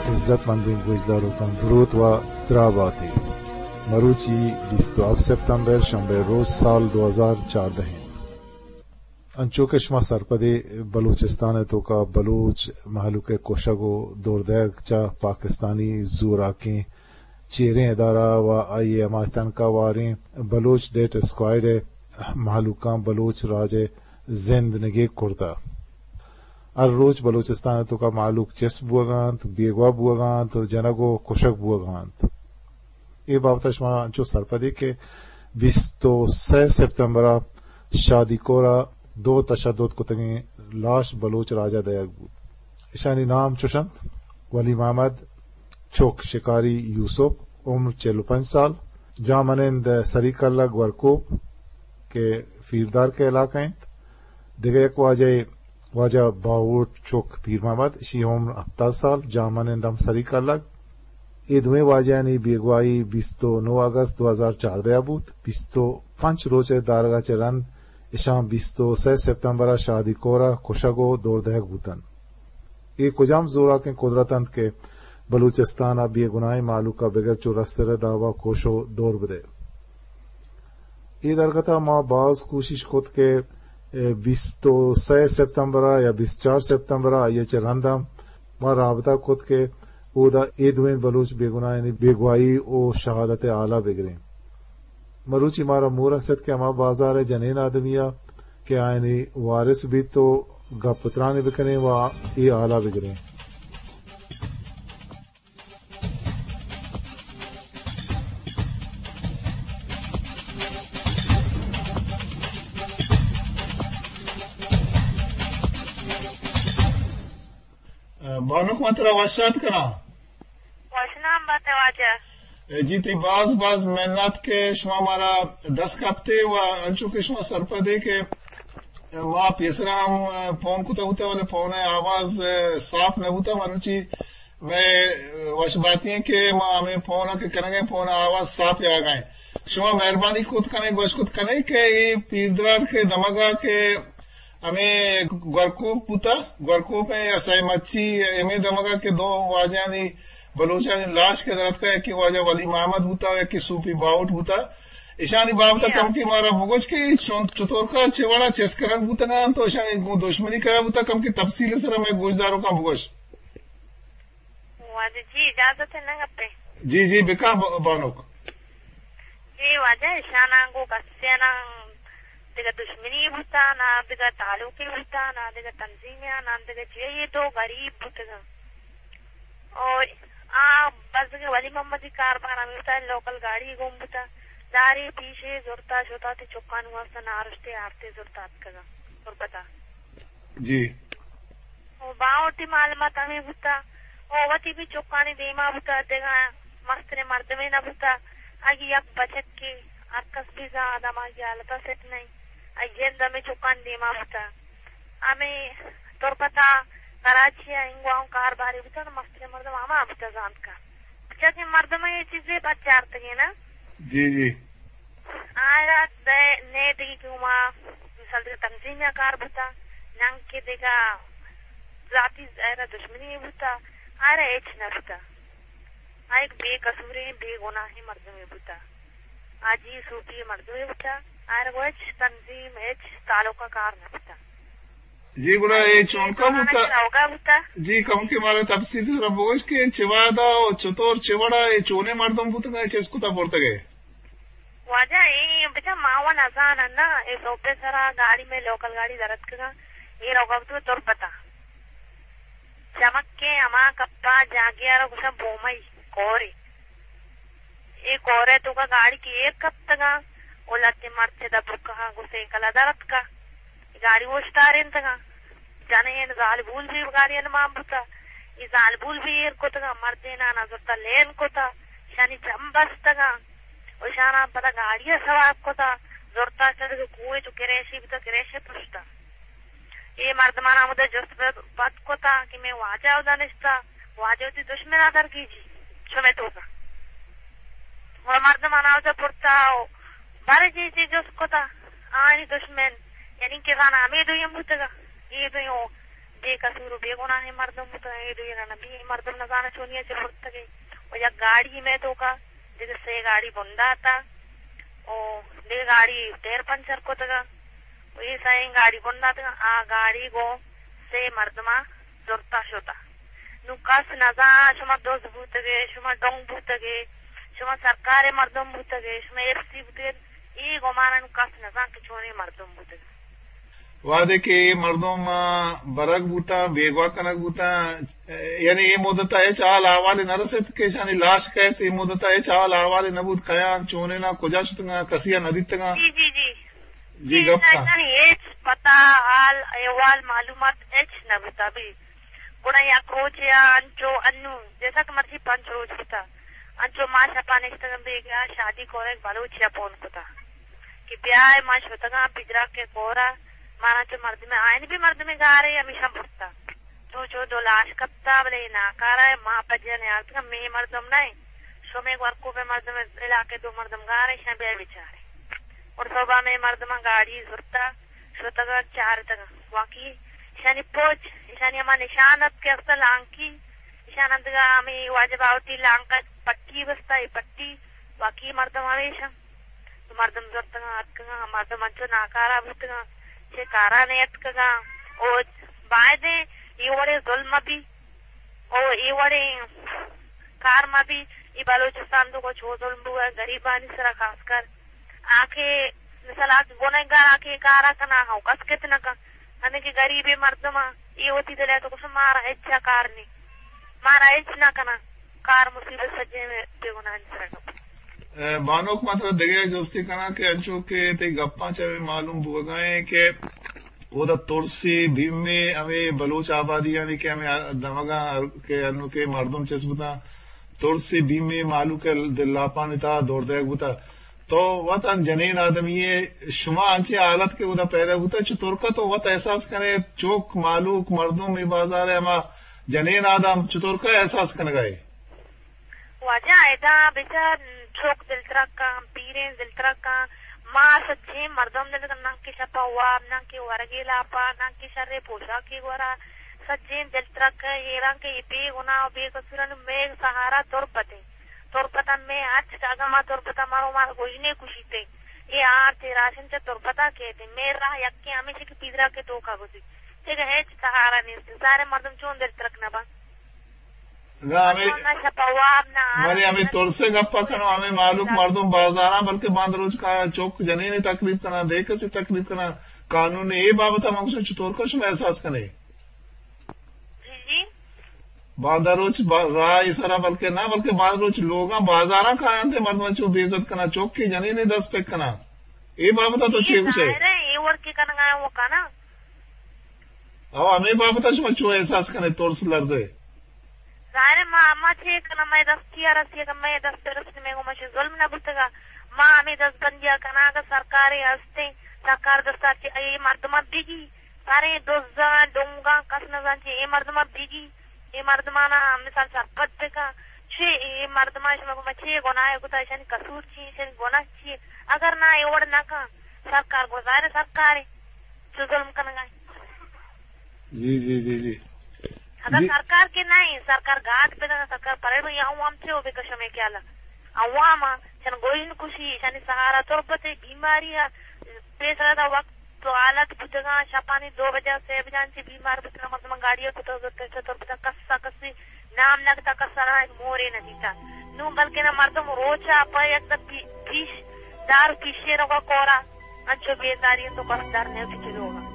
عزت مندیں گوشداروکاں دروت و دراہ باتے۔ مروچی بیست و ہفت سپتمبر، شنبے روچ، سال دو ہزار چاردہ انت۔ انچو کہ شما سرپدے، بلوچستان ءِ توکا بلوچ مہلوک ءِ کشگ و دور دئیگ چہ پاکستانی زوراکیں چیریں ادارہ و آئی ءِ ہما تنکہ واریں بلوچ ڈیتھ اسکواڈ ءِ مہلوکاں بلوچ راج ءِ زند نگیگ کرتہ۔ ہر روچ بلوچستان ءِ توکا مہلوک چست بوگ ءَ انت، بیگواہ بوگ ءَ انت و جنگ و کشگ بوگ ءَ انت۔ اے بابت ءَ شما انچو سرپدے کہ بیست و سئے سپتمبر ءَ شادی کور ءَ دو تشدد کتگیں لاش بلوچ راج ءَ دئیگ بوت۔ اشانی نام چوش انت: ولی محمد، چک شکاری یوسف، عمر چل و پنچ سال، جامنند سری کلگ گورکوپ کہ پیردار کے علاقہ انت۔ دگہ یک واجہ، واجہ باہوٹ چک پیر محمد، اشی عمر ہپتاد سال، جامنند ہم سری کلگ۔ اے دوئیں واجہانی بیگواہی بیست و نو اگست دو ہزار چاردہ ءَ بوت۔ بیست و پنچ روچ ءِ دارگ ءَ چہ رند اشاں بیست و سئے سپتمبر ءَ شادی کور ءَ کشگ و دور دئیگ بوتنت۔ اے کجام زوراکیں قدرت انت کہ بلوچستان ءِ بے گناہیں مہلوک ءَ بگر چو رستر ءِ داب ءَ کش و دور بدئے؟ اے درگت ءَ ما باز کوشش کت کہ، اے، بیست و سئے سپتمبر ءَ یا بیست و چار سپتمبر ءَ آئی ءَ چہ رند ءَ ما رابطہ کت کہ اودا اے دوئیں بلوچ بے گناہانی بیگواہی و شہادت ءِ حال ءَ بگریں۔ مروچی مارا موہ رست کہ ہما بازار ءِ جنین آدمی ءَ کہ آیانی وارث بیت و گپ و ترانے بکنیں و اے حال ءَ بگریں۔ بانک، من ترا وش آتک کناں۔ وشنام بات ئے واجہ۔ جی، تئی باز باز منت کہ شما مارا دست کپتے و انچو کہ شما سرپدے کہ ما پیسرا ہم فون کتا بوتا، بلے فون ءِ آواز صاف نہ بوتا۔ مروچی مئے وش باتی ایں کہ ما ہمے فون ءَ کہ کنگ ءَ ایں، فون ءِ آواز صاف یاگ ءَ ایں۔ شما مہربانی کت کنے، گوش کت کنے کہ اے پیردرار کے دمگ ءَ کہ ہمے گورکوپ بوتا، گورکوپ ءِ یا سئے مچی، ہمے دمگ ءَ کہ دو واجہانی، بلوچانی لاش کہ دراتکا، یکے واجہ ولی محمد بوتا، یکے صوفی باہوٹ بوتا۔ اشانی بابت ءَ کمکے مارا بگوش کہ اے چون، چطور کا، چہ وڑا چست کنگ بوتگاں، تو اشانی گوں دشمنی کیا بوتا، کمکے تفصیل ءِ سرا مئے گوشداروکاں بگوش۔ واجہ جی، اجازت ہے نہ گپے؟ جی، جی، بکا ب-، بانک۔ جی واجہ، اشاناں گوں کسے نا دگہ دشمنی بوتا، نا دگہ تعلقی بوتا، نا دگہ تنظیمی، نا دگہ چیئے، یہ دو غریب بوتگا۔ اور آ بس کہ ولی محمدی کاربار ہمیں بوتا، لوکل گاڑی گم بوتا، داری پیشے زرتا شتا تی چکان واسطہ نارشتے آرتے زرتا اتکگا تربتا۔ جی۔ او باہوٹی معلومات ہمیں بوتا۔ او وتی بھی چکانی دیما بوتا، دگہ مستریں مردمے نہ بوتا۔ اگہ یک بچکے ہر کس بھی زان آدم آگی حالتا سٹ نہیں۔ اگہ جند ہمیں چکانی دیما بوتا۔ ہمیں تربتا کراچی ءَ انگواں کار باری بوتا، تو مستریں مردم ہما بوتا زانت کا۔ بچکیں مردم یہ چیزیں بچارتگیں نا۔ جی، جی۔ آئرا دے، نے دگی کہ ہما مثال دگہ تنظیم یا کار بوتا، ننگ کہ دگہ ذاتی آئرا دشمنی بوتا، آئرا ہچ نہ بوتا۔ آ یک بے قصوریں، بے گناہیں مردمے بوتا۔ آ جی صوفی مردمے بوتا، آئرا گوں ہچ تنظیم، ہچ تعلق ءَ کار نہ بوتا۔ جی، گڑا اے چونکا بوتا؟ روگا بوتا۔ جی، کمکے مارا تفصیل سرا بگوش کہ چہ وہدا و چطور چہ وڑا اے چونیں مردم بوتگا، اے چست کتا برتگے؟ واجہ، اے بچا ما و نزاناں نا، اے سوپے سرا گاڑی میں لوکل گاڑی درتکگا، اے روگا بوتگا تربتا۔ چمکے ہما کپا جاگے آرا گوشاں بومئی کورے۔ اے کورے توکا گاڑی کہ ایر کپتگا، او لتے مرد چدا برکہا گوں سیکلا درتکا۔ گاڑی اوشتارینتگاں۔ جنین زالبول بھی گاڑی انمان بوتا۔ اے زالبول بھی ایر کتگاں، مردینانا زرتا لین کتا، شانی چم بستگاں۔ و شانا پدا گاڑی سوار کتا، زرتا چہ دگہ کوہ چو کریشی بوتا، کریشی پشتا۔ اے مردمانا ہمودا جست پد کتا کہ میں واجہ اودا نشتا، واجہ وتی دشمنا درگیجی، شمے توکا۔ و مردمانا اودا برتا و بر جی جی جست کتا، آنی دشمن، یعنی کہ زانا ہمے دوئیں بوتگا، اے دوئیں او بے قصور و بے گناہیں مردم بوتگ، اے دوئیں نہ بی، اے مردم نزاناں چونیا چہ برتگ ئے۔ و یک گاڑی مئے توکا، دگہ سے گاڑی بنداتا، و دگہ گاڑی ٹائر پنچر کتگا، و اے سئیں گاڑی بنداتگا، آ گاڑی گوں سے مردما زرتا شتا۔ نوں کس نزان شما دز بوتگے، شما ڈنگ بوتگے، شما سرکارے مردم بوتگے، شما ایف سی بوتگے، اے گمانا نوں کس نزان کہ چونیں مردم بوتگے۔ وہدے کہ اے مردم، آ، برگ بوتاں، بیگواہ کنگ بوتاں، یعنی اے مدت ء ہچ حال احوالے نہ رسیت کہ ایشانی لاش کئیت، اے مدت ء ہچ حال احوالے نہ بوت، کیاں، چونیناں، کجا شتگاں، کسی ء نہ دیتگاں۔ جی، جی، جی۔ جی، جی، گپ کن۔ ایشانی ہچ پتہ، حال، احوال، معلومات ہچ نہ بوتا بھی۔ گڑا یک روچے ء انچو انو، جیسا کہ مرچی پنچ روچ بوتا، انچو ما شپا نشتگاں بیگا، شادی کورا یک بلوچے ء پون کتا کہ بیائے، ما شتگاں پجراک ء کورا، مارا چو مردمے، آئین بھی مردمے گارے، ہمیشاں برتا۔ چو چو دو لاش کپتا، بلے اے ناکارہ ء، ما پجیا نیارتگاں، مے مردم نہ انت، شمے ورکوپے مردم، علاقے دو مردم گارے، شاں بیا بچارے۔ اور صبح مے مردماں گاڑی زرتا، شتگاں چارتگاں۔ واقعی ایشانی پوچ، ایشانی ہما نشان ات کہ است لانکی، ایشان اندگا ہمے واجہ باوٹی لانکا پٹی بستا، اے پٹی، واقعی مردم ہمیشاں۔ تو مردم زرتگاں، اتکگاں، مردم انچو ناکارہ بوتگاں، چہ کارا نیتکگاں۔ او بایدیں اے وڑیں ظلم مہ بی، او اے وڑیں کار مہ بی۔ اے بلوچستان تو کو چو ظلم بوئے، غریبانی سرا خاص کر۔ آ کہ مثال آ کہ گنہگار آ کہ کارا کنا ہاں، کس کت نہ کن۔ ہمیں کہ غریبیں مردم آ، اے وتی دل ء تو گوشن مارا ہچ کار نی، مارا ہچ نہ کنا۔ کار مصیبت سجیں بے گناہانی سرا کپت۔ اے، بانک، ما ترا دگہ یک جستے کناں کہ انچو کہ تئی گپاں چہ ہمے معلوم بوگا ایں کہ اودا ترسے، بیمے، ہمے بلوچ آبادیانی کہ ہمے دمگاں کہ انو کہ مردم چست بوتاں، ترسے، بیمے، مہلوک ء دل لاپانی تہا دور دئیگ بوتہ۔ تو وت انت جنین آدمی ئے، شما انچیں حالت کہ اودا پیدا بوتہ، چتورکا تو وت احساس کنے، چک، مہلوک، مردم، اے بازار ء ہما جنین آدم چتورکا احساس کنگا ئے؟ واجہ، ادا بچار چک دلترک کن، پیریں دلترک کن، ما سجیں مردم دلترک کن، ناں کہ شپا واب، ناں کہ ورگے لاپا، ناں کہ شریں پوشاکے گورا، سجیں دلترک کن، حیران کہ اے بے گناہ و بے قصورانی مئے سہارا تربت انت۔ تربت ء مئے ہرچ کہ اگاں ما تربت ء مرو، ما گژنے کشیت ایں۔ اے آرت، اے راشن چہ تربت ء کیت انت۔ مئے راہ یکیں ہمیش کہ پیدراک ء توکا گوزیت۔ دگہ ہچ سہارا نیست۔ سارے مردم چون دلترک نہ بنت؟ نہ، ہمے نہ شپ ء واب، نہ آرت، بلے ہمے نہ ترس ء گپ ء کنو، ہمے مہلوک مردم بازاراں، بلکہ باند روچ کا چک جنین تکلیف کناں، دے کسے تکلیف کناں، قانون اے بابت ء من گوشاں چطور کا شما احساس کنے؟ جی، جی۔ باندا روچ با-، راہ ء سرا بلکہ نہ، بلکہ باز روچ لوگاں بازاراں کاینت، مردم چو بے عزت کناں، چوکے جنینے دست پک کناں۔ اے بابت ء تو اے چے گوشے؟ ظاہر ہے، اے وڑ کے کنگا ہے وہ کنا۔ او ہمے بابت ء شما چو احساس کنے، ترس لرزے؟ ظاہر ہے، ما، ما چے کناں، مئے دستی ء رسی، اگاں مئے دست ء رسی، مئے گوما چے ظلم نہ بوتگا۔ ما ہمے دست بندی ء کناں، اگاں سرکارے ہستیں، سرکار دستا چے اے مردماں بگی، ساریں دزاں، ڈونگاں، کس نزان چے اے مردماں بگی، اے مردمانا مثال سرپد بکن۔ چے اے مردماں شما گوما چے گناہ کتا، ایشانی قصور چی، ایشانی گناہ چی؟ اگر نہ اے وڑ نہ کن، سرکار گو ظاہر ہے سرکار ہے، چو ظلم کنگا ہے۔ جی، جی، جی، جی۔ اگر جی۔ سرکار کے نہیں، سرکار گاٹ پہ نہ، سرکار پرے بھی آؤں ہم چے ہو بکشم اے کیا لا۔ عوام چن گوئن کشی، ایشانی سہارا تربت بیماری ہے، پیسرا دا وقت تو حالت بوتگاں، شپانی دو بجہ، سے بجہ انچی بیمار بوتگاں، مردماں گاڑی ء کتگ زرتگ چہ تربت ء، کس ء کسی نام نہ گتا، کس ء را یک مورے نہ دیتا۔ نوں بلکنا مردم روچ ء پہ یک دہ پی-، پیش دار پیشے روگا کورا، انچو بیزاری انت و کس در نیوتی چلوگا۔